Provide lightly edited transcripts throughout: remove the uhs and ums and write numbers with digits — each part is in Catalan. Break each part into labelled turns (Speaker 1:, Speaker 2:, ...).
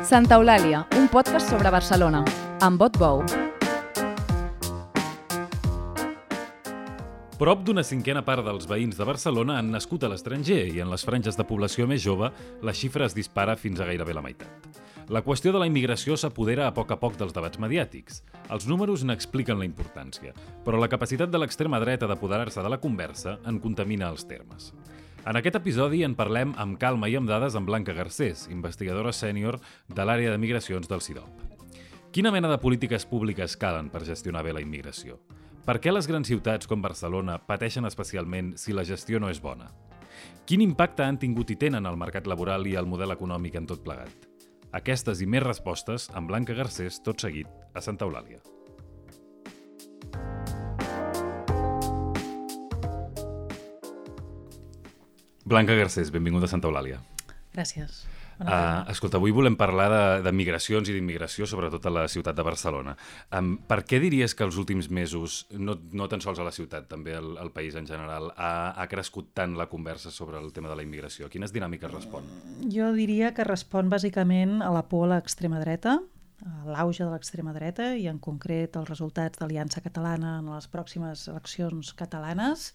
Speaker 1: Santa Eulàlia, un podcast sobre Barcelona, amb Bot Bou.
Speaker 2: Prop d'una cinquena part dels veïns de Barcelona han nascut a l'estranger i en les franges de població més jove la xifra es dispara fins a gairebé la meitat. La qüestió de la immigració s'apodera a poc dels debats mediàtics. Els números n'expliquen la importància, però la capacitat de l'extrema dreta d'apoderar-se de la conversa en contamina els termes. En aquest episodi en parlem amb calma i amb dades amb Blanca Garcés, investigadora sènior de l'àrea de migracions del CIDOB. Quina mena de polítiques públiques calen per gestionar bé la immigració? Per què les grans ciutats com Barcelona pateixen especialment si la gestió no és bona? Quin impacte han tingut i tenen al mercat laboral i al model econòmic en tot plegat? Aquestes i més respostes amb Blanca Garcés, tot seguit, a Santa Eulàlia. Blanca Garcés, benvinguda a Santa Eulàlia.
Speaker 3: Gràcies.
Speaker 2: Escolta, avui volem parlar de migracions i d'immigració, sobretot a la ciutat de Barcelona. Per què diries que els últims mesos, no tan sols a la ciutat, també al país en general, ha crescut tant la conversa sobre el tema de la immigració? Quines dinàmiques respon?
Speaker 3: Jo diria que respon bàsicament a la por a l'extrema dreta, a l'auge de l'extrema dreta i en concret els resultats d'Aliança Catalana en les pròximes eleccions catalanes.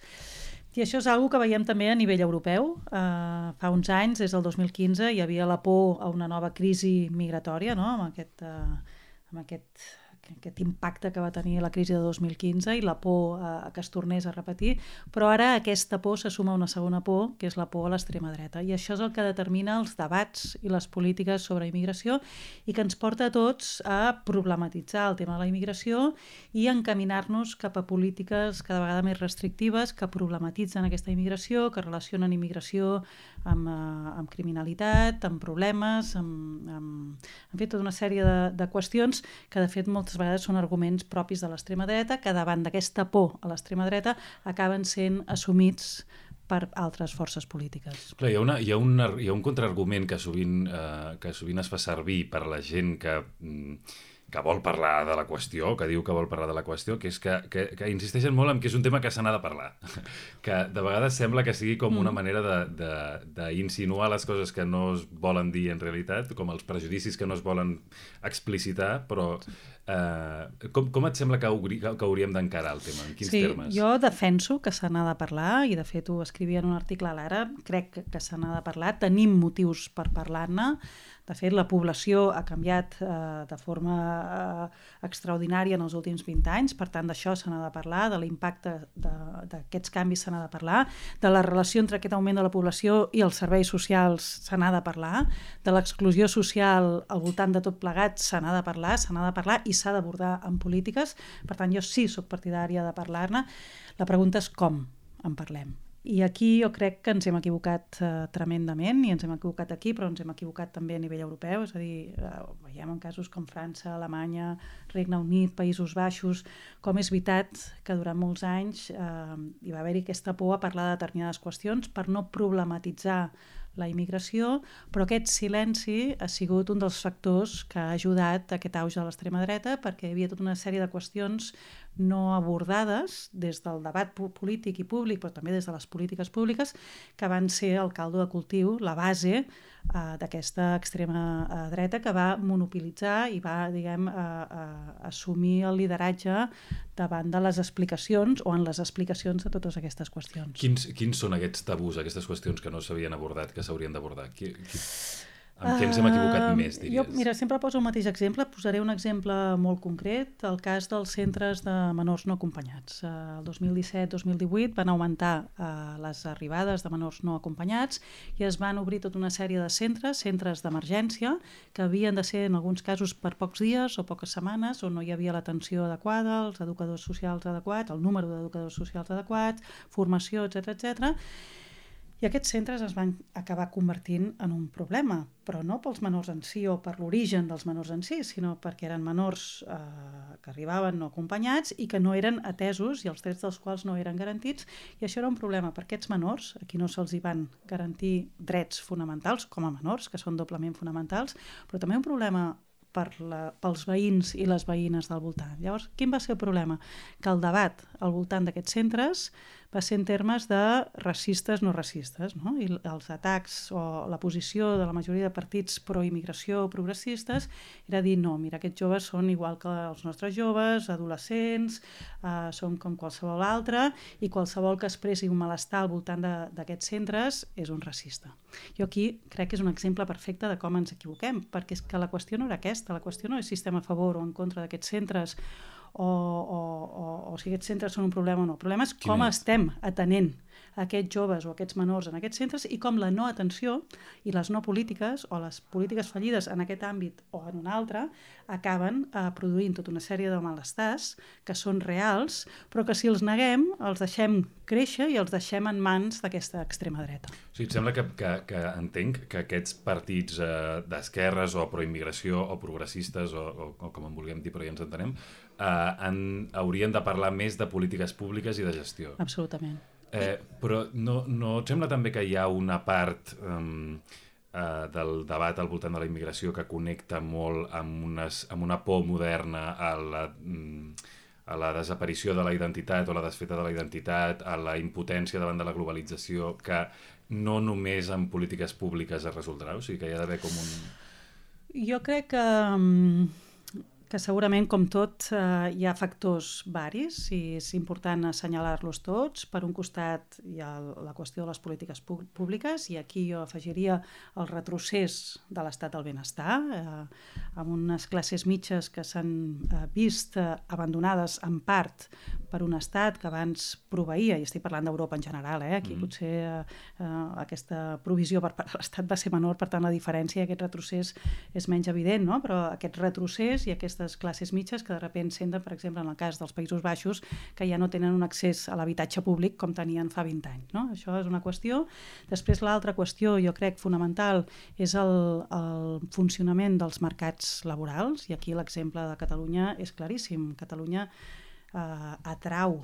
Speaker 3: I això és una cosa que veiem també a nivell europeu. Fa uns anys, des del 2015, hi havia la por a una nova crisi migratòria, no? amb aquest impacte que va tenir la crisi de 2015 i la por a que es tornés a repetir, però ara aquesta por se suma a una segona por, que és la por a l'extrema dreta. I això és el que determina els debats i les polítiques sobre immigració i que ens porta a tots a problematitzar el tema de la immigració i encaminar-nos cap a polítiques cada vegada més restrictives que problematitzen aquesta immigració, que relacionen immigració amb criminalitat, amb problemes, amb tota una sèrie de qüestions que de fet moltes vegades són arguments propis de l'extrema dreta que davant d'aquesta por a l'extrema dreta acaben sent assumits per altres forces polítiques.
Speaker 2: Clar, hi ha un contraargument que sovint es fa servir per la gent que vol parlar de la qüestió, que diu que vol parlar de la qüestió, que és que insisteixen molt en que és un tema que se n'ha de parlar. Que de vegades sembla que sigui com una manera d'insinuar les coses que no es volen dir en realitat, com els prejudicis que no es volen explicitar, però com et sembla que hauríem d'encarar el tema? En quins termes?
Speaker 3: Jo defenso que se n'ha de parlar, i de fet ho escrivia en un article a l'Ara, crec que se n'ha de parlar, tenim motius per parlar-ne. De fet, la població ha canviat de forma extraordinària en els últims 20 anys, per tant, d'això se n'ha de parlar, de l'impacte d'aquests canvis se n'ha de parlar, de la relació entre aquest augment de la població i els serveis socials se n'ha de parlar, de l'exclusió social al voltant de tot plegat se n'ha de parlar i s'ha d'abordar en polítiques. Per tant, jo sí soc partidària de parlar-ne. La pregunta és com en parlem. I aquí jo crec que ens hem equivocat tremendament, i ens hem equivocat aquí, però ens hem equivocat també a nivell europeu, és a dir, veiem en casos com França, Alemanya, Regne Unit, Països Baixos, com és veritat que durant molts anys hi va haver-hi aquesta por a parlar de determinades qüestions per no problematitzar la immigració, però aquest silenci ha sigut un dels factors que ha ajudat a aquest auge de l'extrema dreta, perquè hi havia tota una sèrie de qüestions no abordades des del debat polític i públic, però també des de les polítiques públiques, que van ser el caldo de cultiu, la base d'aquesta extrema dreta que va monopolitzar i va, assumir el lideratge davant de les explicacions o en les explicacions de totes aquestes qüestions.
Speaker 2: Quins són aquests tabús, aquestes qüestions que no s'havien abordat, que s'haurien d'abordar? Amb què ens hem equivocat més, diries?
Speaker 3: Jo, sempre poso el mateix exemple. Posaré un exemple molt concret, el cas dels centres de menors no acompanyats. El 2017-2018 van augmentar les arribades de menors no acompanyats i es van obrir tota una sèrie de centres d'emergència, que havien de ser en alguns casos per pocs dies o poques setmanes, on no hi havia l'atenció adequada, els educadors socials adequats, el número d'educadors socials adequats, formació, etc. I aquests centres es van acabar convertint en un problema, però no pels menors en si o per l'origen dels menors en si, sinó perquè eren menors que arribaven no acompanyats i que no eren atesos i els drets dels quals no eren garantits, i això era un problema per aquests menors, a qui no se'ls hi van garantir drets fonamentals com a menors, que són doblement fonamentals, però també un problema pels veïns i les veïnes del voltant. Llavors, quin va ser el problema? Que el debat al voltant d'aquests centres va ser en termes de racistes no racistes, no? I els atacs o la posició de la majoria de partits pro-immigració o progressistes era dir, no, mira, aquests joves són igual que els nostres joves, adolescents, són com qualsevol altre, i qualsevol que expressi un malestar al voltant d'aquests centres és un racista. Jo aquí crec que és un exemple perfecte de com ens equivoquem, perquè és que la qüestió no era aquesta, la qüestió no és si estem a favor o en contra d'aquests centres o si aquests centres són un problema o no. El problema és com estem atenent aquests joves o aquests menors en aquests centres i com la no atenció i les no polítiques o les polítiques fallides en aquest àmbit o en un altre acaben produint tota una sèrie de malestars que són reals, però que si els neguem els deixem créixer i els deixem en mans d'aquesta extrema dreta.
Speaker 2: O sigui, et sembla que entenc que aquests partits d'esquerres o proimmigració o progressistes o com en vulguem dir, però ja ens entenem, haurien de parlar més de polítiques públiques i de gestió.
Speaker 3: Absolutament.
Speaker 2: Però no et sembla també que hi ha una part del debat al voltant de la immigració que connecta molt amb una por moderna a la desaparició de la identitat o la desfeta de la identitat, a la impotència davant de la globalització, que no només amb polítiques públiques es resoldrà? O sigui, que hi ha d'haver com un...
Speaker 3: Jo crec que segurament, com tot, hi ha factors varis i és important assenyalar-los tots. Per un costat hi ha la qüestió de les polítiques públiques i aquí jo afegiria el retrocés de l'estat del benestar, amb unes classes mitges que s'han vist abandonades en part per un estat que abans proveïa, i estic parlant d'Europa en general, aquí potser aquesta provisió per part de l'estat va ser menor, per tant la diferència, aquest retrocés és menys evident, no? Però aquest retrocés i aquestes classes mitges que de sobte senten, per exemple, en el cas dels Països Baixos, que ja no tenen un accés a l'habitatge públic com tenien fa 20 anys. No? Això és una qüestió. Després l'altra qüestió, jo crec, fonamental, és el funcionament dels mercats laborals, i aquí l'exemple de Catalunya és claríssim. Catalunya atrau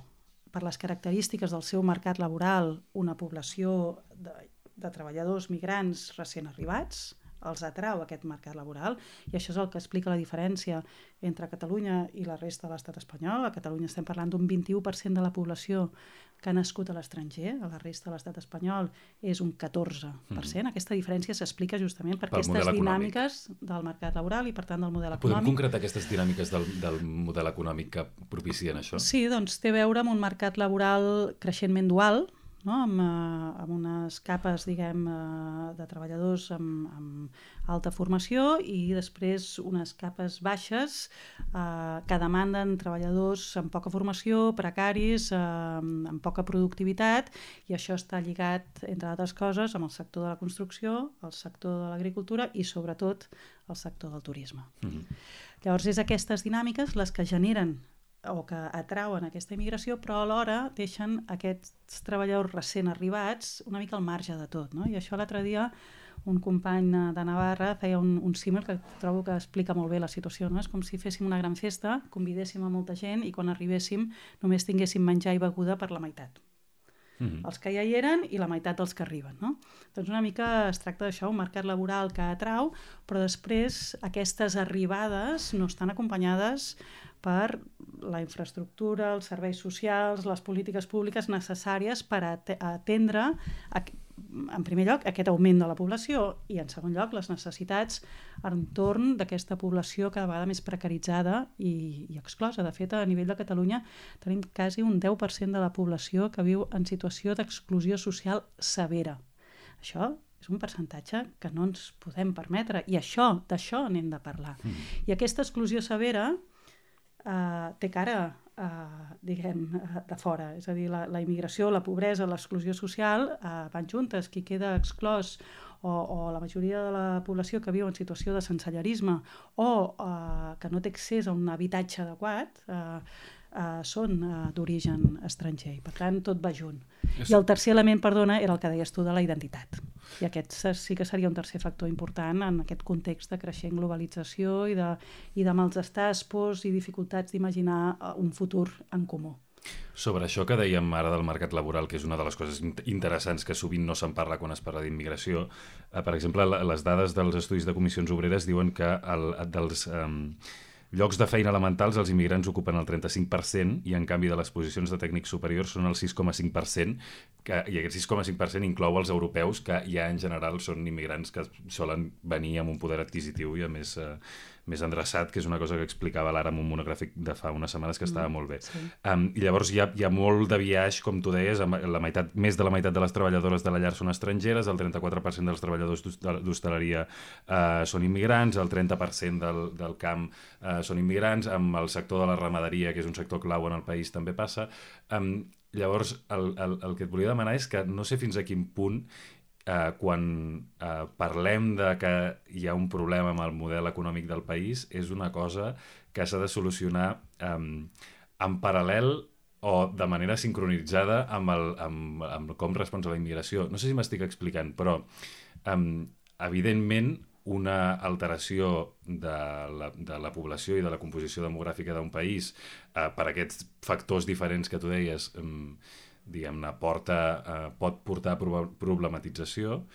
Speaker 3: per les característiques del seu mercat laboral una població de treballadors migrants recent arribats, els atrau aquest mercat laboral, i això és el que explica la diferència entre Catalunya i la resta de l'estat espanyol. A Catalunya estem parlant d'un 21% de la població que ha nascut a l'estranger, a la resta de l'estat espanyol és un 14%. Aquesta diferència s'explica justament per aquestes dinàmiques del mercat laboral i, per tant, del model econòmic.
Speaker 2: Podem concretar aquestes dinàmiques del model econòmic que propicien això?
Speaker 3: Sí, doncs té a veure amb un mercat laboral creixentment dual, no? Amb unes capes, diguem, de treballadors amb alta formació i després unes capes baixes que demanden treballadors amb poca formació, precaris, amb poca productivitat, i això està lligat, entre altres coses, amb el sector de la construcció, el sector de l'agricultura i, sobretot, el sector del turisme. Llavors, és aquestes dinàmiques les que generen o que atrauen aquesta immigració, però alhora deixen aquests treballadors recent arribats una mica al marge de tot, no? I això l'altre dia un company de Navarra feia un símil que trobo que explica molt bé la situació, no? És com si féssim una gran festa, convidéssim a molta gent i quan arribéssim només tinguéssim menjar i beguda per la meitat. Els que ja hi eren i la meitat dels que arriben, no? Doncs una mica es tracta d'això, un mercat laboral que atrau, però després aquestes arribades no estan acompanyades per la infraestructura, els serveis socials, les polítiques públiques necessàries per atendre, en primer lloc, aquest augment de la població i, en segon lloc, les necessitats entorn d'aquesta població cada vegada més precaritzada i exclosa. De fet, a nivell de Catalunya tenim quasi un 10% de la població que viu en situació d'exclusió social severa. Això és un percentatge que no ens podem permetre i d'això n'hem de parlar. I aquesta exclusió severa té cara, diguem, de fora. És a dir, la immigració, la pobresa, l'exclusió social van juntes. Qui queda exclòs o la majoria de la població que viu en situació de sensellarisme o que no té accés a un habitatge adequat són d'origen estranger. I, per tant, tot va junt. I el tercer element, perdona, era el que deies tu de la identitat. I aquest sí que seria un tercer factor important en aquest context de creixent globalització i de malestars, pors i dificultats d'imaginar un futur en comú.
Speaker 2: Sobre això que dèiem ara del mercat laboral, que és una de les coses interessants que sovint no se'n parla quan es parla d'immigració, per exemple, les dades dels estudis de comissions obreres diuen que dels llocs de feina elementals els immigrants ocupen el 35% i en canvi de les posicions de tècnics superiors són el 6,5%, i aquest 6,5% inclou els europeus, que ja en general són immigrants que solen venir amb un poder adquisitiu i a més endreçat, que és una cosa que explicava l'Ara en un monogràfic de fa unes setmanes que estava molt bé. Sí. I llavors hi ha molt de biaix, com tu deies, més de la meitat de les treballadores de la llar són estrangeres, el 34% dels treballadors d'hostaleria són immigrants, el 30% del camp són immigrants, amb el sector de la ramaderia, que és un sector clau en el país, també passa. Llavors, el que et volia demanar és que no sé fins a quin punt quan parlem de que hi ha un problema amb el model econòmic del país, és una cosa que s'ha de solucionar en paral·lel o de manera sincronitzada amb com respons a la immigració. No sé si m'estic explicant, però evidentment una alteració de la població i de la composició demogràfica d'un país per aquests factors diferents que tu deies, diguem-ne, pot portar a problematització.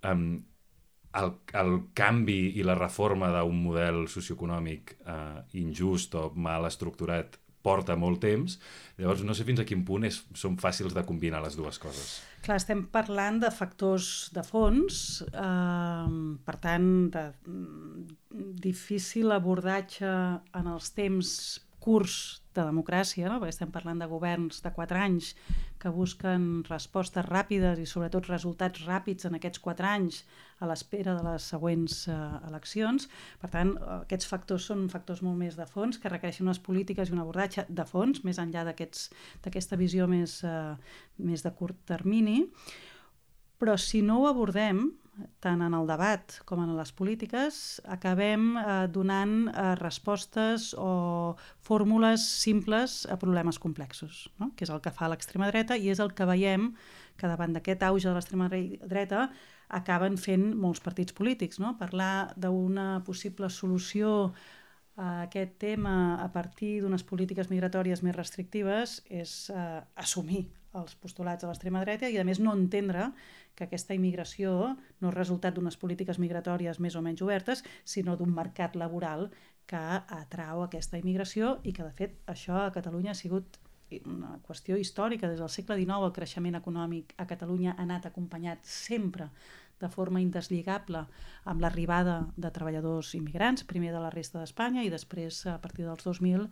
Speaker 2: El canvi i la reforma d'un model socioeconòmic injust o mal estructurat porta molt temps, llavors no sé fins a quin punt són fàcils de combinar les dues coses.
Speaker 3: Clar, estem parlant de factors de fons, per tant, de difícil abordatge en els temps curts de democràcia, no? Perquè estem parlant de governs de 4 anys que busquen respostes ràpides i sobretot resultats ràpids en aquests 4 anys a l'espera de les següents eleccions. Per tant, aquests factors són factors molt més de fons que requereixen unes polítiques i un abordatge de fons, més enllà d'aquesta visió més de curt termini. Però si no ho abordem, tant en el debat com en les polítiques, acabem donant respostes o fórmules simples a problemes complexos, no? Que és el que fa l'extrema dreta i és el que veiem que davant d'aquest auge de l'extrema dreta acaben fent molts partits polítics, no? Parlar d'una possible solució a aquest tema a partir d'unes polítiques migratòries més restrictives és assumir els postulats de l'extrema dreta i, a més, no entendre que aquesta immigració no és resultat d'unes polítiques migratòries més o menys obertes, sinó d'un mercat laboral que atrau aquesta immigració i que, de fet, això a Catalunya ha sigut una qüestió històrica. Des del segle XIX el creixement econòmic a Catalunya ha anat acompanyat sempre de forma indeslligable amb l'arribada de treballadors immigrants, primer de la resta d'Espanya i després, a partir dels 2000,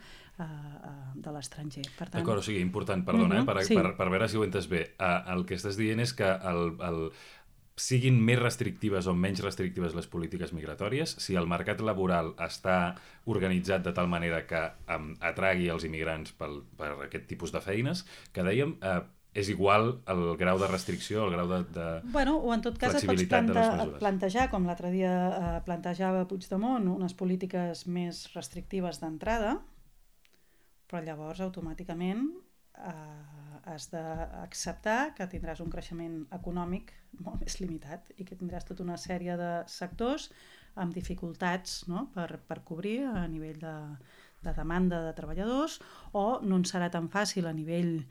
Speaker 3: de l'estranger.
Speaker 2: D'acord, o sigui, important, perdona, per veure si ho entes bé. El que estàs dient és que siguin més restrictives o menys restrictives les polítiques migratòries, si el mercat laboral està organitzat de tal manera que atragui els immigrants per aquest tipus de feines, que dèiem, és igual el grau de restricció, el grau de
Speaker 3: o en tot cas et pots plantejar, com l'altre dia plantejava Puigdemont, unes polítiques més restrictives d'entrada, però llavors automàticament has d'acceptar que tindràs un creixement econòmic molt més limitat i que tindràs tota una sèrie de sectors amb dificultats, no? per cobrir a nivell de demanda de treballadors, o no en serà tan fàcil a nivell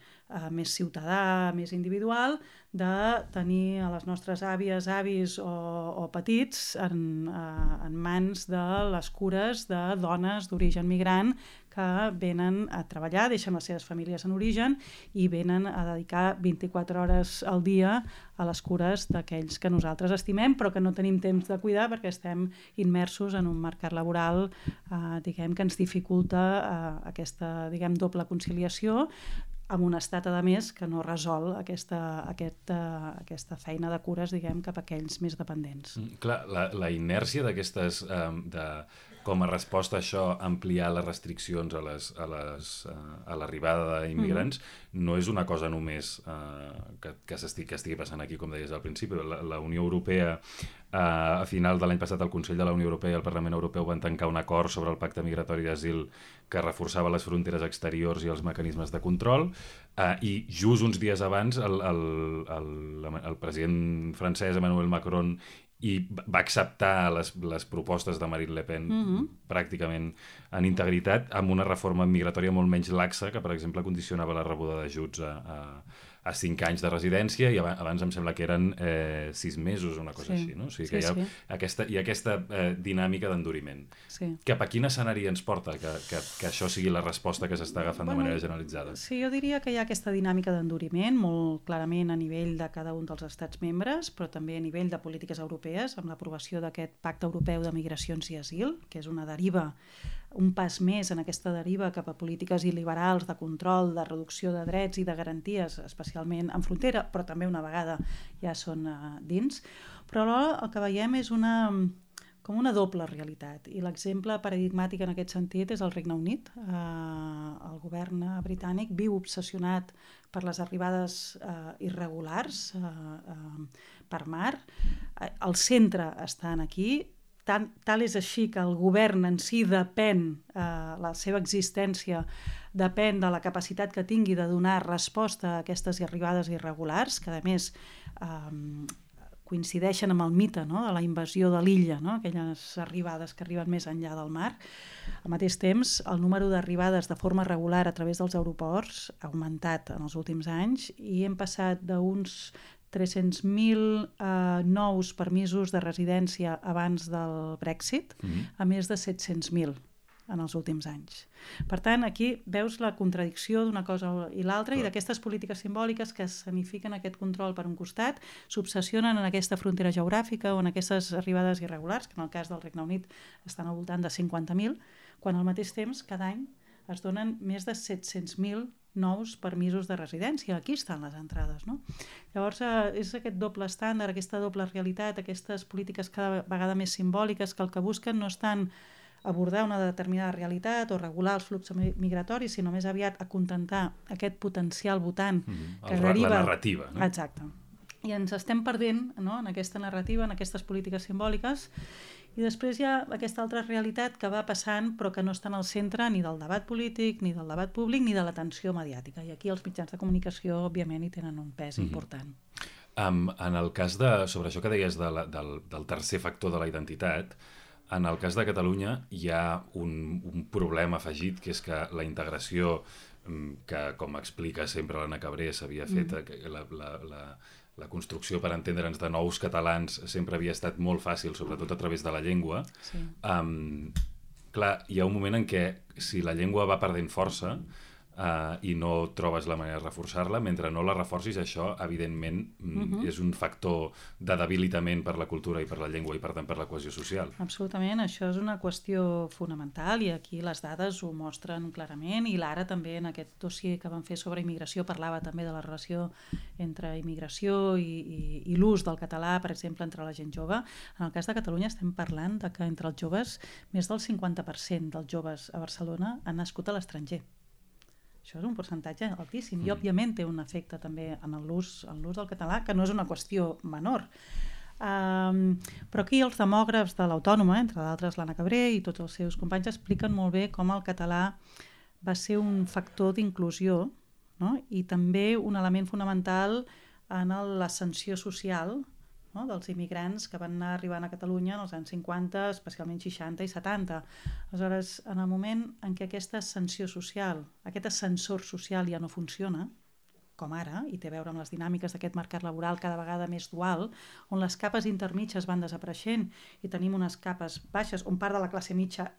Speaker 3: més ciutadà, més individual, de tenir a les nostres àvies, avis o petits en mans de les cures de dones d'origen migrant que venen a treballar, deixen les seves famílies en origen i venen a dedicar 24 hores al dia a les cures d'aquells que nosaltres estimem però que no tenim temps de cuidar perquè estem immersos en un mercat laboral que ens dificulta aquesta doble conciliació amb un estat, a més, que no resol aquesta feina de cures, cap a aquells més dependents.
Speaker 2: Clar, la inèrcia d'aquestes, com a resposta a això, ampliar les restriccions a l'arribada d'immigrants, no és una cosa només que estigui passant aquí, com deies al principi. La Unió Europea, a final de l'any passat, el Consell de la Unió Europea i el Parlament Europeu van tancar un acord sobre el Pacte Migratori d'Asil que reforçava les fronteres exteriors i els mecanismes de control, i just uns dies abans el president francès Emmanuel Macron va acceptar les propostes de Marine Le Pen pràcticament en integritat, amb una reforma migratòria molt menys laxa que, per exemple, condicionava la rebuda d'ajuts a a 5 anys de residència i abans em sembla que eren 6 mesos o una cosa així, no? O sigui que hi ha aquesta dinàmica d'enduriment.
Speaker 3: Sí.
Speaker 2: Cap a quin escenari ens porta que això sigui la resposta que s'està agafant de manera generalitzada?
Speaker 3: Sí, jo diria que hi ha aquesta dinàmica d'enduriment molt clarament a nivell de cada un dels estats membres, però també a nivell de polítiques europees, amb l'aprovació d'aquest Pacte Europeu de Migracions i Asil, que és una deriva, un pas més en aquesta deriva cap a polítiques il·liberals de control, de reducció de drets i de garanties, especialment en frontera, però també una vegada ja són dins. Però alhora el que veiem és com una doble realitat, i l'exemple paradigmàtic en aquest sentit és el Regne Unit. El govern britànic viu obsessionat per les arribades irregulars per mar. El centre està aquí. Tal és així que el govern en si depèn, la seva existència depèn de la capacitat que tingui de donar resposta a aquestes arribades irregulars, que a més coincideixen amb el mite, no?, de la invasió de l'illa, no?, aquelles arribades que arriben més enllà del mar. Al mateix temps, el número d'arribades de forma regular a través dels aeroports ha augmentat en els últims anys i hem passat d'uns 300.000 nous permisos de residència abans del Brexit a més de 700.000 en els últims anys. Per tant, aquí veus la contradicció d'una cosa i l'altra i d'aquestes polítiques simbòliques que escenifiquen aquest control per un costat, s'obsessionen en aquesta frontera geogràfica o en aquestes arribades irregulars, que en el cas del Regne Unit estan al voltant de 50.000, quan al mateix temps cada any es donen més de 700.000 nous permisos de residència. Aquí estan les entrades, no? Llavors, és aquest doble estàndard, aquesta doble realitat, aquestes polítiques cada vegada més simbòliques que el que busquen no és tant abordar una determinada realitat o regular els fluxos migratoris, sinó més aviat acontentar aquest potencial votant que deriva...
Speaker 2: La narrativa, no?
Speaker 3: Exacte. I ens estem perdent, no?, en aquesta narrativa, en aquestes polítiques simbòliques. I després hi ha aquesta altra realitat que va passant però que no està en el centre ni del debat polític, ni del debat públic, ni de l'atenció mediàtica. I aquí els mitjans de comunicació, òbviament, hi tenen un pes important.
Speaker 2: En el cas sobre això que deies del tercer factor de la identitat, en el cas de Catalunya hi ha un problema afegit, que és que la integració que, com explica sempre l'Anna Cabré, s'havia fet, la construcció, per entendre'ns, de nous catalans sempre havia estat molt fàcil, sobretot a través de la llengua.
Speaker 3: Sí.
Speaker 2: Clar, hi ha un moment en què si la llengua va perdent força i no trobes la manera de reforçar-la, mentre no la reforcis, això, evidentment, és un factor de debilitament per la cultura i per la llengua i, per tant, per la cohesió social.
Speaker 3: Absolutament, això és una qüestió fonamental i aquí les dades ho mostren clarament i l'Ara també en aquest dossier que van fer sobre immigració parlava també de la relació entre immigració i l'ús del català, per exemple, entre la gent jove. En el cas de Catalunya estem parlant de que entre els joves més del 50% dels joves a Barcelona han nascut a l'estranger. Això és un percentatge altíssim i, òbviament, té un efecte també en l'ús del català, que no és una qüestió menor. Però aquí els demògrafs de l'Autònoma, entre d'altres l'Anna Cabré i tots els seus companys, expliquen molt bé com el català va ser un factor d'inclusió, no?, i també un element fonamental en l'ascensió social, no?, dels immigrants que van anar arribant a Catalunya en els anys 50, especialment 60 i 70. Aleshores, en el moment en què aquesta ascensió social, aquest ascensor social ja no funciona, com ara, i té a veure amb les dinàmiques d'aquest mercat laboral cada vegada més dual, on les capes intermitges van desapareixent i tenim unes capes baixes, on part de la classe mitja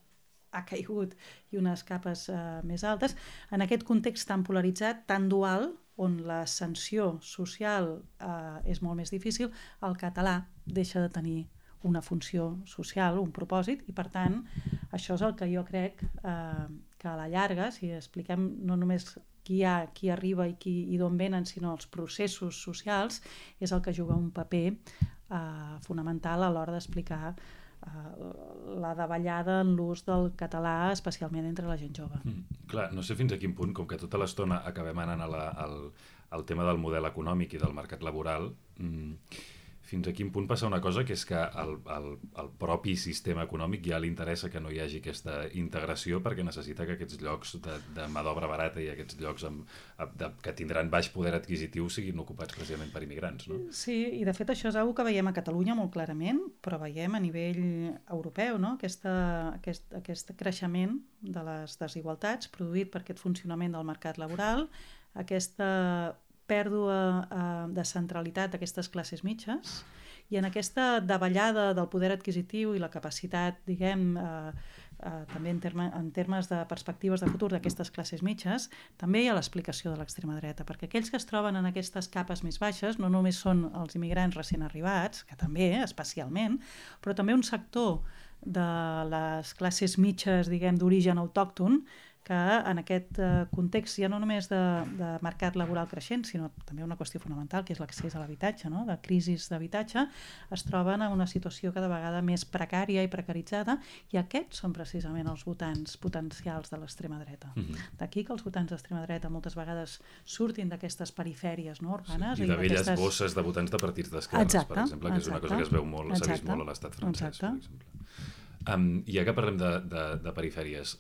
Speaker 3: ha caigut i unes capes més altes, en aquest context tan polaritzat, tan dual, on l'ascensió social és molt més difícil, el català deixa de tenir una funció social, un propòsit, i per tant això és el que jo crec que a la llarga, si expliquem no només qui arriba i d'on venen, sinó els processos socials, és el que juga un paper fonamental a l'hora d'explicar la davallada en l'ús del català, especialment entre la gent jove.
Speaker 2: Clar, no sé fins a quin punt, com que tota l'estona acabem anant al tema del model econòmic i del mercat laboral, fins a quin punt passa una cosa, que és que el propi sistema econòmic ja li interessa que no hi hagi aquesta integració perquè necessita que aquests llocs de mà d'obra barata i aquests llocs que tindran baix poder adquisitiu siguin ocupats precisament per immigrants, no?
Speaker 3: Sí, i de fet això és una que veiem a Catalunya molt clarament, però veiem a nivell europeu, no?, aquest creixement de les desigualtats produït per aquest funcionament del mercat laboral, aquesta pèrdua de centralitat d'aquestes classes mitges i en aquesta davallada del poder adquisitiu i la capacitat, diguem, també en termes de perspectives de futur d'aquestes classes mitges, també hi ha l'explicació de l'extrema dreta, perquè aquells que es troben en aquestes capes més baixes no només són els immigrants recent arribats, que també, especialment, però també un sector de les classes mitges, diguem, d'origen autòcton, que en aquest context ja no només de mercat laboral creixent, sinó també una qüestió fonamental, que és l'accés a l'habitatge, no? De crisi d'habitatge, es troben en una situació cada vegada més precària i precaritzada, i aquests són precisament els votants potencials de l'extrema dreta. D'aquí que els votants d'extrema dreta moltes vegades surtin d'aquestes perifèries, no, urbanes.
Speaker 2: Sí, i de velles bosses de votants de partits d'esquerres, per exemple, que és una cosa que es veu molt, s'ha vist molt a l'estat francès, per exemple. Ja que parlem de perifèries,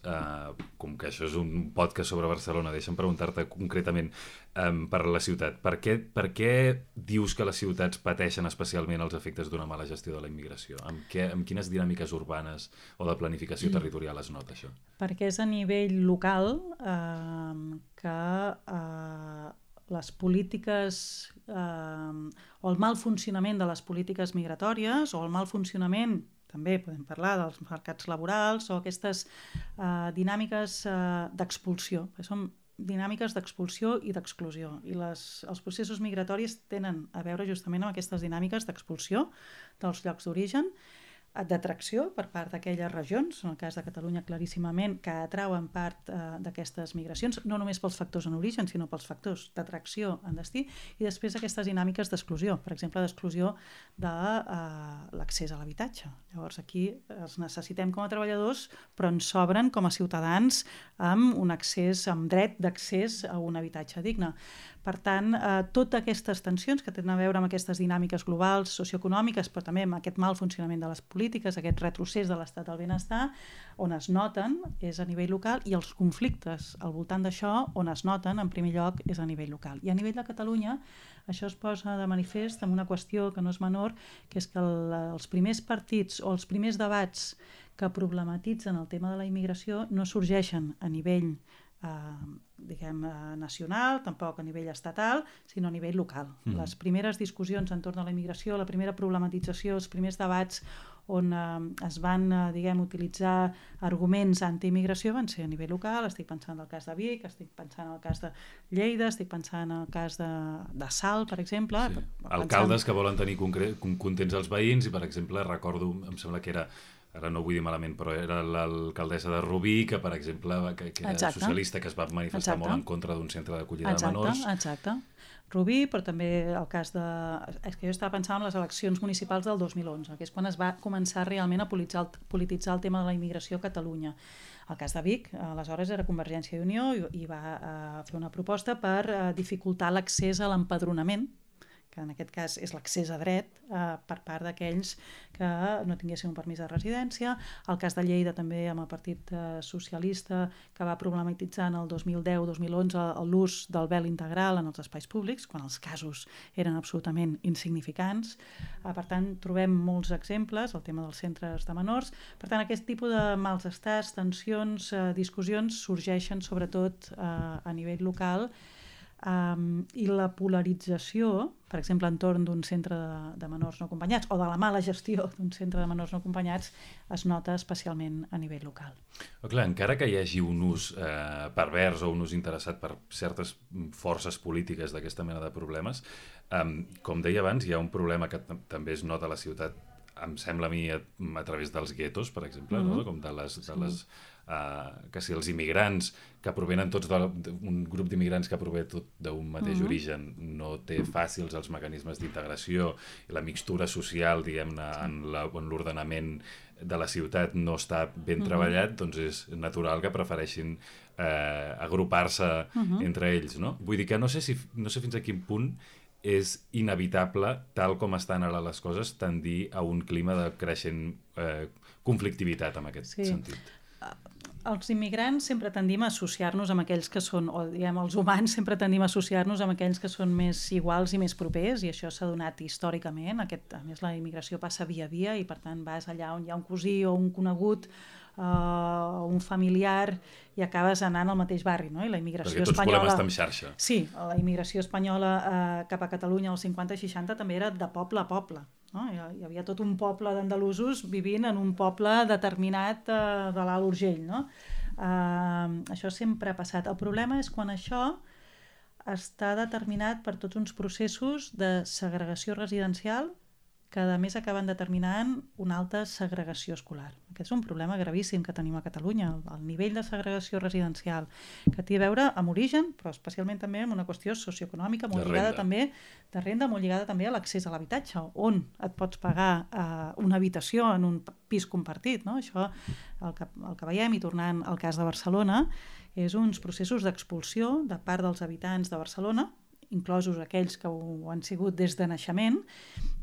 Speaker 2: com que això és un podcast sobre Barcelona, deixa'm preguntar-te concretament per la ciutat. Per què dius que les ciutats pateixen especialment els efectes d'una mala gestió de la immigració? Amb quines dinàmiques urbanes o de planificació territorial es nota això?
Speaker 3: Perquè és a nivell local que les polítiques o el mal funcionament de les polítiques migratòries o el mal funcionament, també podem parlar dels mercats laborals o aquestes dinàmiques d'expulsió, que són dinàmiques d'expulsió i d'exclusió. I els processos migratoris tenen a veure justament amb aquestes dinàmiques d'expulsió dels llocs d'origen, d'atracció per part d'aquelles regions, en el cas de Catalunya claríssimament, que atrauen part d'aquestes migracions, no només pels factors en origen, sinó pels factors d'atracció en destí, i després aquestes dinàmiques d'exclusió, per exemple, d'exclusió de l'accés a l'habitatge. Llavors aquí els necessitem com a treballadors, però ens sobren com a ciutadans amb un accés, amb dret d'accés a un habitatge digne. Per tant, totes aquestes tensions que tenen a veure amb aquestes dinàmiques globals, socioeconòmiques, però també amb aquest mal funcionament de les polítiques, aquest retrocés de l'estat del benestar, on es noten és a nivell local, i els conflictes al voltant d'això, on es noten en primer lloc, és a nivell local. I a nivell de Catalunya, això es posa de manifest amb una qüestió que no és menor, que és que els primers partits o els primers debats que problematitzen el tema de la immigració no sorgeixen a nivell nacional, tampoc a nivell estatal, sinó a nivell local. Les primeres discussions entorn a la immigració, la primera problematització, els primers debats on es van utilitzar arguments anti-immigració van ser a nivell local. Estic pensant en el cas de Vic, estic pensant en el cas de Lleida, estic pensant en el cas de Salt, per exemple.
Speaker 2: Sí. Alcaldes que volen tenir contents els veïns, i per exemple recordo, em sembla que era, ara no ho vull dir malament, però era l'alcaldessa de Rubí, que per exemple que era socialista, que es va manifestar molt en contra d'un centre d'acollida de menors.
Speaker 3: Exacte. Rubí, però també el cas de... És que jo estava pensant en les eleccions municipals del 2011, que és quan es va començar realment a polititzar el tema de la immigració a Catalunya. El cas de Vic, aleshores era Convergència i Unió, i va fer una proposta per dificultar l'accés a l'empadronament, que en aquest cas és l'accés a dret per part d'aquells que no tinguessin un permís de residència. El cas de Lleida també amb el Partit Socialista, que va problematitzar en el 2010-2011 l'ús del vel integral en els espais públics, quan els casos eren absolutament insignificants. Per tant, trobem molts exemples, el tema dels centres de menors. Per tant, aquest tipus de malestars, tensions, discussions sorgeixen sobretot a nivell local, i la polarització, per exemple, entorn d'un centre de menors no acompanyats o de la mala gestió d'un centre de menors no acompanyats, es nota especialment a nivell local.
Speaker 2: Però clar, encara que hi hagi un ús pervers o un ús interessat per certes forces polítiques d'aquesta mena de problemes, com deia abans, hi ha un problema que també es nota a la ciutat, em sembla a mi, a través dels guetos, per exemple, no? Com de les que si els immigrants que provenen tots d'un grup d'immigrants que prové tot d'un mateix origen no té fàcils els mecanismes d'integració i la mixtura social, diguem-ne, en l'ordenament de la ciutat no està ben treballat, doncs és natural que prefereixin agrupar-se entre ells, no? Vull dir que no sé fins a quin punt és inevitable, tal com estan ara les coses, tendir a un clima de creixent conflictivitat en aquest sentit.
Speaker 3: Els immigrants sempre tendim a associar-nos amb aquells que són, o diguem, els humans sempre tendim a associar-nos amb aquells que són més iguals i més propers, i això s'ha donat històricament. A més, la immigració passa via a via, i per tant vas allà on hi ha un cosí o un conegut un familiar i acabes anant al mateix barri, no? I la immigració
Speaker 2: perquè tots
Speaker 3: espanyola...
Speaker 2: volem estar en xarxa.
Speaker 3: Sí, la immigració espanyola cap a Catalunya als 50 i 60 també era de poble a poble. No? Hi havia tot un poble d'andalusos vivint en un poble determinat de l'Alt Urgell. No? Això sempre ha passat. El problema és quan això està determinat per tots uns processos de segregació residencial que a més acaben determinant una alta segregació escolar. Aquest és un problema gravíssim que tenim a Catalunya, el nivell de segregació residencial, que té a veure amb origen, però especialment també amb una qüestió socioeconòmica molt lligada també de renda, molt lligada també a l'accés a l'habitatge, on et pots pagar una habitació en un pis compartit. No? Això, el que veiem, i tornant al cas de Barcelona, és uns processos d'expulsió de part dels habitants de Barcelona, inclosos aquells que ho han sigut des de naixement,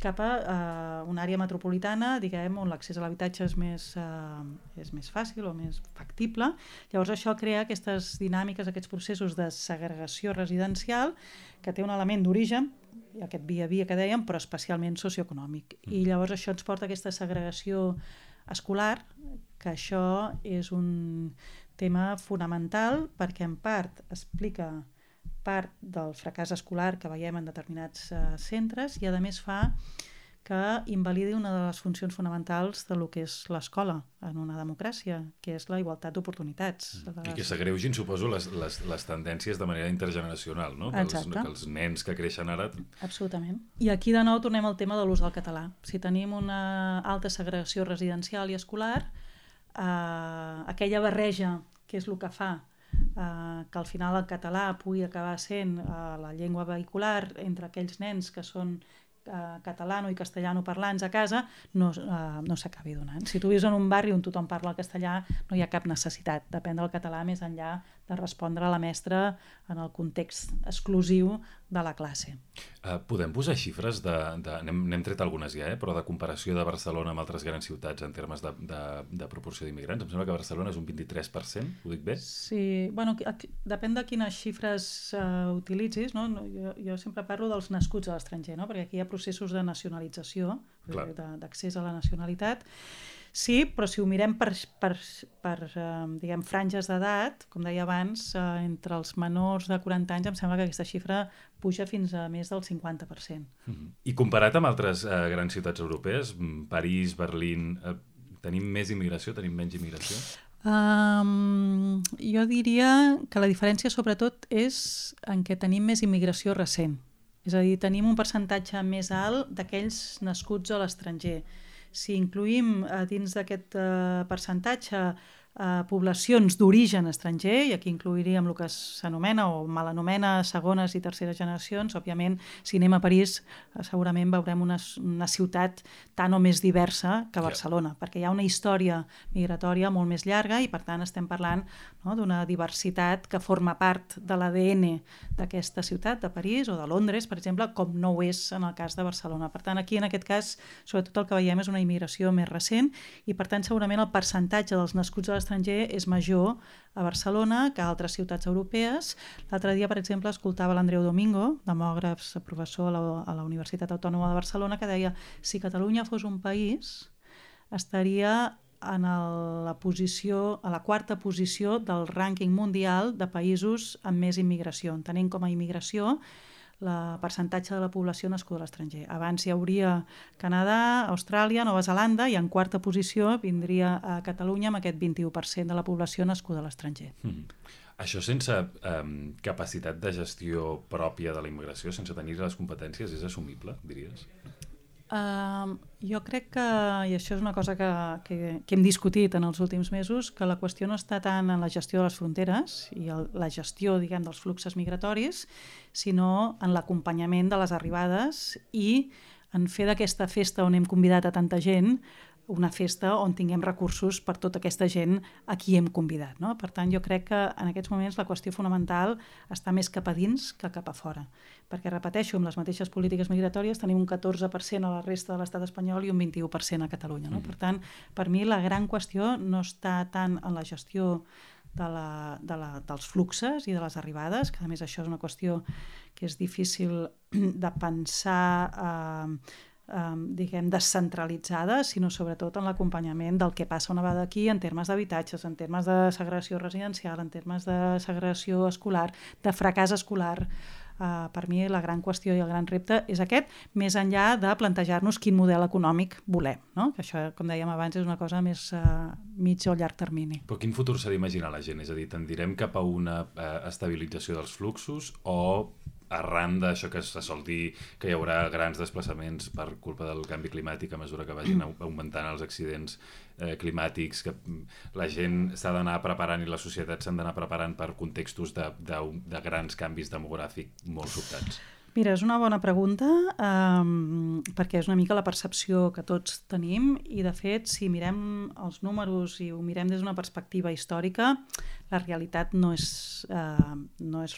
Speaker 3: cap a una àrea metropolitana, diguem, on l'accés a l'habitatge és més fàcil o més factible. Llavors això crea aquestes dinàmiques, aquests processos de segregació residencial que té un element d'origen, aquest via a via que dèiem, però especialment socioeconòmic. I llavors això ens porta a aquesta segregació escolar, que això és un tema fonamental perquè en part explica part del fracàs escolar que veiem en determinats centres i a més fa que invalidi una de les funcions fonamentals de lo que és l'escola en una democràcia, que és la igualtat d'oportunitats.
Speaker 2: I que s'agreugin, suposo, les tendències de manera intergeneracional, no? Que els nens que creixen ara...
Speaker 3: Absolutament. I aquí de nou tornem al tema de l'ús del català. Si tenim una alta segregació residencial i escolar, aquella barreja, que és el que fa que al final el català pugui acabar sent la llengua vehicular entre aquells nens que són catalano i castellano parlants a casa, no s'acabi donant. Si tu vius en un barri on tothom parla el castellà, no hi ha cap necessitat d'aprendre el català més enllà de respondre a la mestra en el context exclusiu de la classe.
Speaker 2: Podem posar xifres n'hem tret algunes ja, però de comparació de Barcelona amb altres grans ciutats en termes de proporció d'immigrants? Em sembla que Barcelona és un 23%, ho dic bé?
Speaker 3: Sí, bueno, depèn de quines xifres utilitzis, no? Jo sempre parlo dels nascuts a l'estranger, no? Perquè aquí hi ha processos de nacionalització, d'accés a la nacionalitat. Sí, però si ho mirem per diguem, franges d'edat, com deia abans, entre els menors de 40 anys em sembla que aquesta xifra puja fins a més del 50%.
Speaker 2: I comparat amb altres grans ciutats europees, París, Berlín, tenim més immigració, tenim menys immigració?
Speaker 3: Jo diria que la diferència sobretot és en què tenim més immigració recent. És a dir, tenim un percentatge més alt d'aquells nascuts a l'estranger. Si incluïm dins d'aquest percentatge poblacions d'origen estranger, i aquí incluiríem el que s'anomena o mal anomena segones i terceres generacions, òbviament, si anem a París segurament veurem una ciutat tan o més diversa que Barcelona, perquè hi ha una història migratòria molt més llarga i per tant estem parlant d'una diversitat que forma part de l'ADN d'aquesta ciutat, de París o de Londres, per exemple, com no ho és en el cas de Barcelona. Per tant, aquí en aquest cas, sobretot el que veiem és una immigració més recent i per tant segurament el percentatge dels nascuts a l'estranger és major a Barcelona que a altres ciutats europees. L'altre dia, per exemple, escoltava l'Andreu Domingo, demògraf, professor a la Universitat Autònoma de Barcelona, que deia si Catalunya fos un país estaria a la quarta posició del rànquing mundial de països amb més immigració, entenent com a immigració el percentatge de la població nascuda a l'estranger. Abans hi hauria Canadà, Austràlia, Nova Zelanda i en quarta posició vindria a Catalunya amb aquest 21% de la població nascuda a l'estranger.
Speaker 2: Això sense capacitat de gestió pròpia de la immigració, sense tenir les competències, és assumible, diries?
Speaker 3: Jo crec que, i això és una cosa que hem discutit en els últims mesos, que la qüestió no està tant en la gestió de les fronteres i la gestió, diguem, dels fluxos migratoris, sinó en l'acompanyament de les arribades i en fer d'aquesta festa on hem convidat a tanta gent una festa on tinguem recursos per tota aquesta gent a qui hem convidat. No? Per tant, jo crec que en aquests moments la qüestió fonamental està més cap a dins que cap a fora. Perquè, repeteixo, amb les mateixes polítiques migratòries tenim un 14% a la resta de l'estat espanyol i un 21% a Catalunya. No? Per tant, per mi la gran qüestió no està tant en la gestió dels fluxes i de les arribades, que a més això és una qüestió que és difícil de pensar diguem, descentralitzada, sinó sobretot en l'acompanyament del que passa una vegada aquí en termes d'habitatges, en termes de segregació residencial, en termes de segregació escolar, de fracàs escolar. Per mi la gran qüestió i el gran repte és aquest, més enllà de plantejar-nos quin model econòmic volem, no? Que això, com dèiem abans, és una cosa més mig o llarg termini.
Speaker 2: Però quin futur s'ha d'imaginar la gent? És a dir, tendirem cap a una estabilització dels fluxos o arran d'això que se sol dir que hi haurà grans desplaçaments per culpa del canvi climàtic a mesura que vagin augmentant els accidents climàtics, que la gent s'ha d'anar preparant i les societats s'han d'anar preparant per contextos de grans canvis demogràfics molt sobtats?
Speaker 3: Mira, és una bona pregunta perquè és una mica la percepció que tots tenim i, de fet, si mirem els números i ho mirem des d'una perspectiva històrica, la realitat no és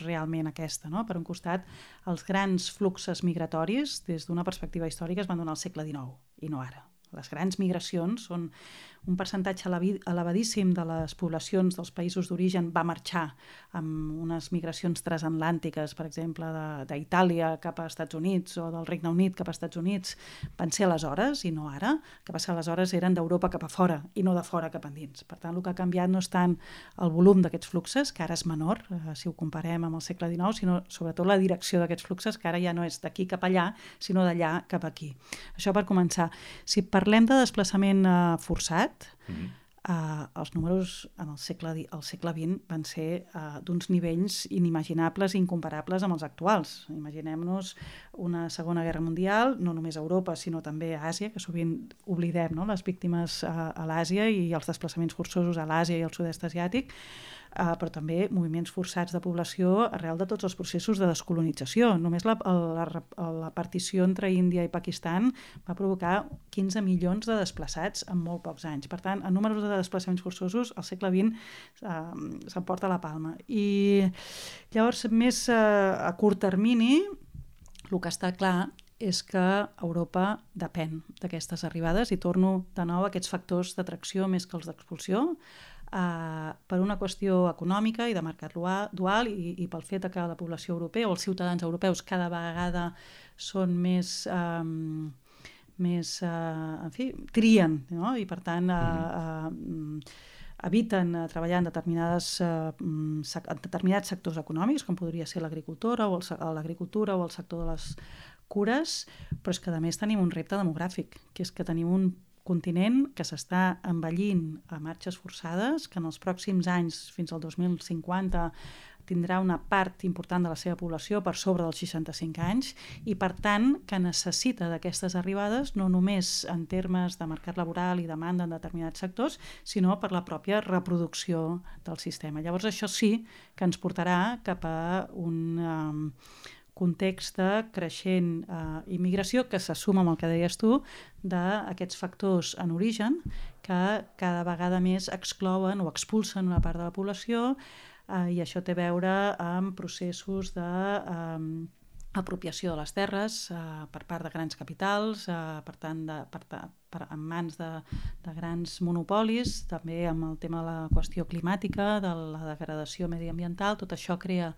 Speaker 3: realment aquesta, no? Per un costat, els grans fluxos migratoris des d'una perspectiva històrica es van donar al segle XIX i no ara. Les grans migracions són un percentatge elevadíssim de les poblacions dels països d'origen va marxar amb unes migracions transatlàntiques, per exemple, d'Itàlia cap als Estats Units o del Regne Unit cap als Estats Units, van ser aleshores i no ara. El que passa aleshores eren d'Europa cap a fora i no de fora cap endins. Per tant, el que ha canviat no és tant el volum d'aquests fluxos, que ara és menor, si ho comparem amb el segle XIX, sinó sobretot la direcció d'aquests fluxos, que ara ja no és d'aquí cap allà, sinó d'allà cap aquí. Això per començar. Si parlem de desplaçament forçat, els números en el segle XX van ser d'uns nivells inimaginables i incomparables amb els actuals. Imaginem-nos una Segona Guerra Mundial, no només a Europa, sinó també a Àsia, que sovint oblidem, no? Les víctimes a l'Àsia i els desplaçaments forçosos a l'Àsia i al sud-est asiàtic, però també moviments forçats de població arrel de tots els processos de descolonització. Només la partició entre Índia i Pakistan va provocar 15 milions de desplaçats en molt pocs anys. Per tant, en números de desplaçaments forçosos, al segle XX s'emporta la palma. I llavors, més a curt termini, el que està clar és que Europa depèn d'aquestes arribades, i torno de nou a aquests factors d'atracció més que els d'expulsió, per una qüestió econòmica i de mercat dual i pel fet que la població europea o els ciutadans europeus cada vegada són més en fi, trien, no? I per tant eviten treballar en determinats sectors econòmics, com podria ser l'agricultura o el sector de les cures, però és que a més tenim un repte demogràfic, que és que tenim un continent que s'està envellint a marxes forçades, que en els pròxims anys, fins al 2050, tindrà una part important de la seva població per sobre dels 65 anys i, per tant, que necessita d'aquestes arribades no només en termes de mercat laboral i demanda en determinats sectors, sinó per la pròpia reproducció del sistema. Llavors, això sí que ens portarà cap a un context de creixent immigració que s'assuma amb el que deies tu d'aquests factors en origen que cada vegada més exclouen o expulsen una part de la població i això té a veure amb processos d'apropiació de les terres per part de grans capitals, per tant en mans de grans monopolis, també amb el tema de la qüestió climàtica, de la degradació mediambiental. Tot això crea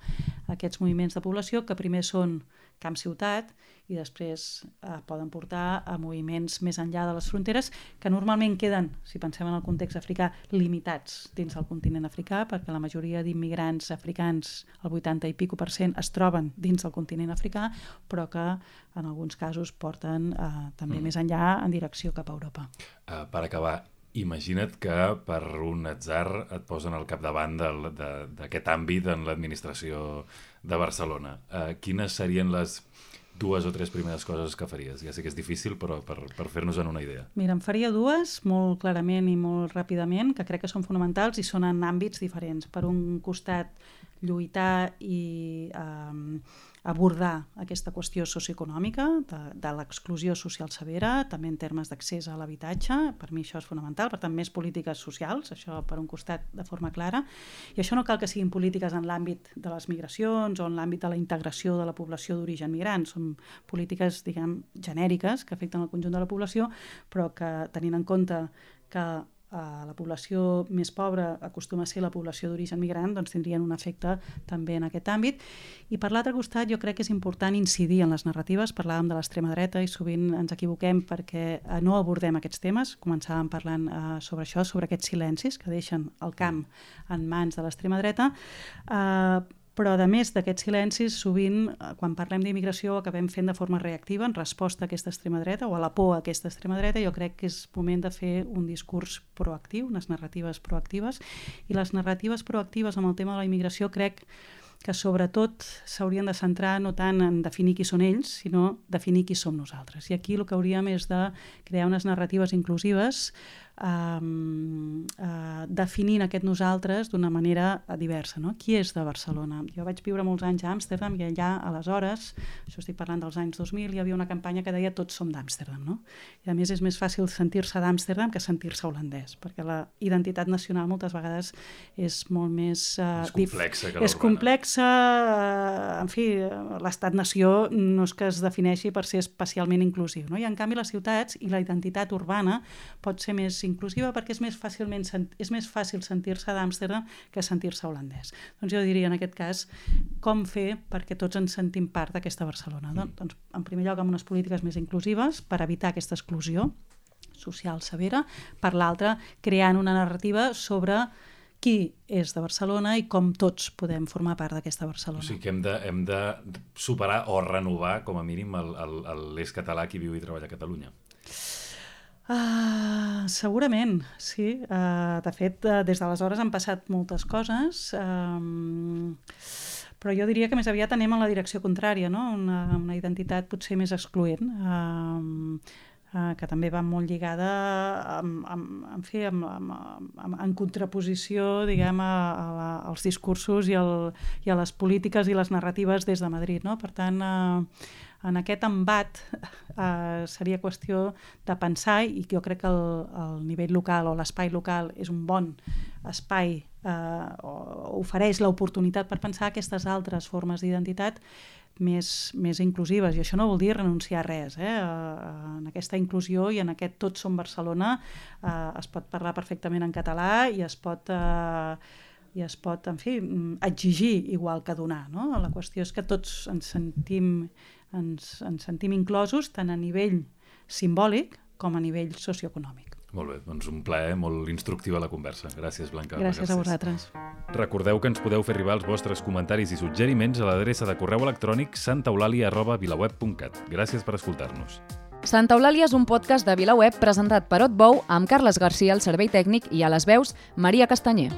Speaker 3: aquests moviments de població que primer són camp-ciutat i després poden portar a moviments més enllà de les fronteres que normalment queden, si pensem en el context africà, limitats dins del continent africà, perquè la majoria d'immigrants africans, el 80 i pico % es troben dins del continent africà, però que en alguns casos porten també més enllà en direcció cap a Europa.
Speaker 2: Per acabar, imagina't que per un atzar et posen al capdavant d'aquest àmbit en l'administració de Barcelona. Quines serien les 2 o 3 primeres coses que faries? Ja sé que és difícil, però per fer-nos una idea.
Speaker 3: Mira, en faria 2, molt clarament i molt ràpidament, que crec que són fonamentals i són en àmbits diferents. Per un costat, lluitar i abordar aquesta qüestió socioeconòmica de l'exclusió social severa, també en termes d'accés a l'habitatge. Per mi això és fonamental, per tant, més polítiques socials, això per un costat de forma clara. I això no cal que siguin polítiques en l'àmbit de les migracions o en l'àmbit de la integració de la població d'origen migrant. Són polítiques, diguem, genèriques que afecten el conjunt de la població, però que tenint en compte que la població més pobra acostuma a ser la població d'origen migrant, doncs tindrien un efecte també en aquest àmbit. I per l'altre costat jo crec que és important incidir en les narratives. Parlàvem de l'extrema dreta i sovint ens equivoquem perquè no abordem aquests temes. Començàvem parlant sobre això, sobre aquests silencis que deixen el camp en mans de l'extrema dreta, però a més d'aquests silencis, sovint, quan parlem d'immigració, acabem fent de forma reactiva en resposta a aquesta extrema dreta o a la por a aquesta extrema dreta. Jo crec que és moment de fer un discurs proactiu, unes narratives proactives, i les narratives proactives amb el tema de la immigració crec que sobretot s'haurien de centrar no tant en definir qui són ells, sinó definir qui som nosaltres. I aquí el que hauríem és de crear unes narratives inclusives definint aquest nosaltres d'una manera diversa. No? Qui és de Barcelona? Jo vaig viure molts anys a Amsterdam i allà, aleshores, això estic parlant dels anys 2000, hi havia una campanya que deia tots som d'Amsterdam. No? I a més és més fàcil sentir-se d'Amsterdam que sentir-se holandès, perquè la identitat nacional moltes vegades és molt més...
Speaker 2: és complexa que
Speaker 3: és complexa, en fi, l'estat-nació no és que es defineixi per ser especialment inclusiu. No? I en canvi les ciutats i la identitat urbana pot ser més inclusiva perquè és més fàcil sentir-se d'Amsterdam que sentir-se holandès. Doncs jo diria en aquest cas com fer perquè tots ens sentim part d'aquesta Barcelona. Doncs en primer lloc amb unes polítiques més inclusives per evitar aquesta exclusió social severa, per l'altra creant una narrativa sobre qui és de Barcelona i com tots podem formar part d'aquesta Barcelona.
Speaker 2: O sigui que hem de superar o renovar com a mínim l'eix català qui viu i treballa a Catalunya.
Speaker 3: Segurament, sí. De fet, des d'aleshores han passat moltes coses, però jo diria que més aviat anem en la direcció contrària, no? Una identitat potser més excloent, que també va molt lligada en contraposició, diguem, als discursos i a les polítiques i les narratives des de Madrid, no? Per tant, en aquest embat seria qüestió de pensar, i jo crec que el nivell local o l'espai local és un bon espai, ofereix l'oportunitat per pensar aquestes altres formes d'identitat més inclusives, i això no vol dir renunciar a res. En aquesta inclusió i en aquest Tots som Barcelona es pot parlar perfectament en català i es pot, en fi, exigir igual que donar. No? La qüestió és que tots ens sentim inclosos tant a nivell simbòlic com a nivell socioeconòmic.
Speaker 2: Molt bé, doncs un plaer molt instructiu a la conversa. Gràcies, Blanca.
Speaker 3: Gràcies a vosaltres.
Speaker 2: Recordeu que ens podeu fer arribar els vostres comentaris i suggeriments a l'adreça de correu electrònic santaeulàlia@vilaweb.cat. Gràcies per escoltar-nos.
Speaker 1: Santa Eulàlia és un podcast de VilaWeb presentat per Otbou amb Carles Garcia al servei tècnic i a les veus Maria Castanyer.